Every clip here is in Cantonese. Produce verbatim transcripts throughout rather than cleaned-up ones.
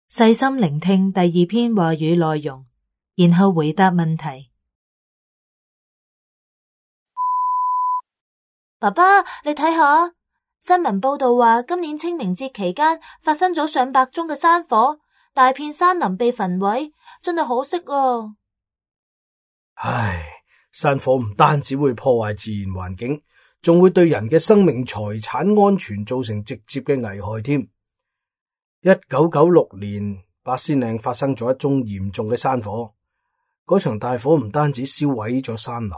細心聆聽第二篇話語內容，然後回答問題。爸爸，你睇下，新聞報道話今年清明節期間發生咗上百宗嘅山火，大片山林被焚毀，真係可惜啊！唉，山火唔單止會破壞自然環境，仲會對人嘅生命財產安全造成直接嘅危害添。一九九六年，八仙嶺發生咗一宗嚴重嘅山火，嗰場大火唔單止燒毀咗山林，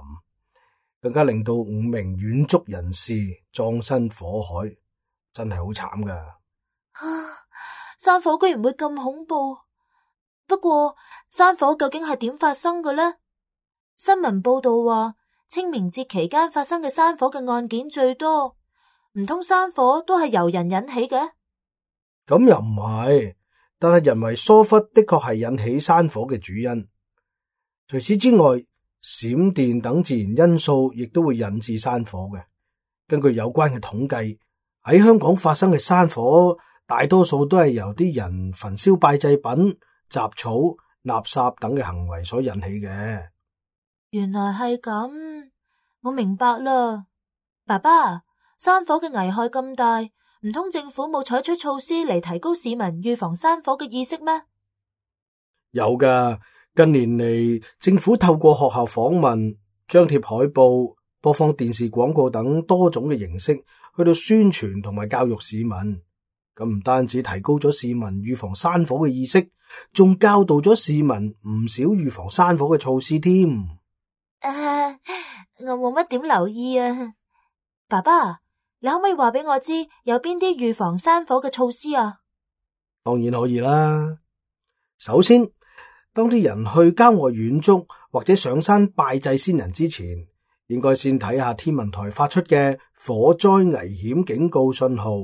更加令到五名遠足人士葬身火海，真係好慘噶。啊，山火居然會咁恐怖！不過山火究竟係點發生嘅呢？新聞報道話清明節期間發生嘅山火嘅案件最多，唔通山火都係由人引起嘅？咁又唔係，但係人為疏忽的確係引起山火嘅主因。除此之外，閃電等自然因素亦都會引致山火嘅。根據有關嘅統計，喺香港發生嘅山火，大多數都係由啲人焚燒拜祭品、雜草、垃圾等嘅行為所引起嘅。原來係咁，我明白啦。爸爸，山火嘅危害咁大，唔通政府冇採取措施嚟提高市民預防山火嘅意識咩？有噶，近年嚟，政府透過學校訪問、張貼海報、播放電視廣告等多種嘅形式，去到宣傳同埋教育市民。咁唔單止提高咗市民預防山火嘅意識，仲教導咗市民唔少預防山火嘅措施添。啊，我冇乜點留意啊。爸爸，你可唔可以話俾我知有邊啲預防山火嘅措施啊？當然可以啦。首先，當啲人去郊外遠足或者上山拜祭先人之前，應該先睇下天文台發出嘅火災危險警告信號。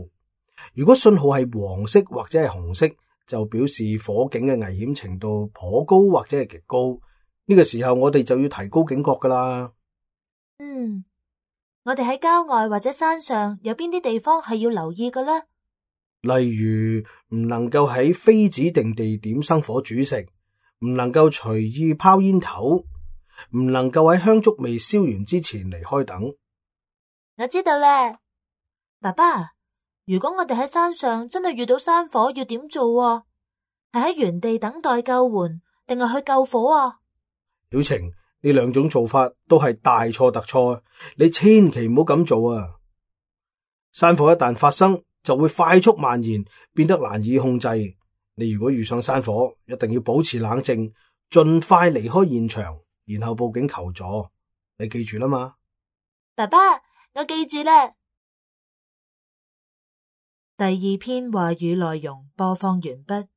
如果信號係黃色或者係紅色，就表示火警嘅危險程度頗高或者係極高。呢個時候我哋就要提高警覺噶啦。嗯，我哋喺郊外或者山上有邊啲地方係要留意嘅呢？例如唔能夠喺非指定地點生火煮食，唔能夠隨意拋煙頭，唔能夠喺香燭未燒完之前離開等。我知道啦，爸爸。如果我哋喺山上真係遇到山火，要點做啊？係喺原地等待救援，定係去救火啊？曉晴，呢兩種做法都係大錯特錯，你千祈唔好咁做啊！山火一旦發生，就會快速蔓延，變得難以控制。你如果遇上山火，一定要保持冷靜，盡快離開現場，然後報警求助。你記住啦嘛？爸爸，我記住啦。第二篇話語內容播放完畢。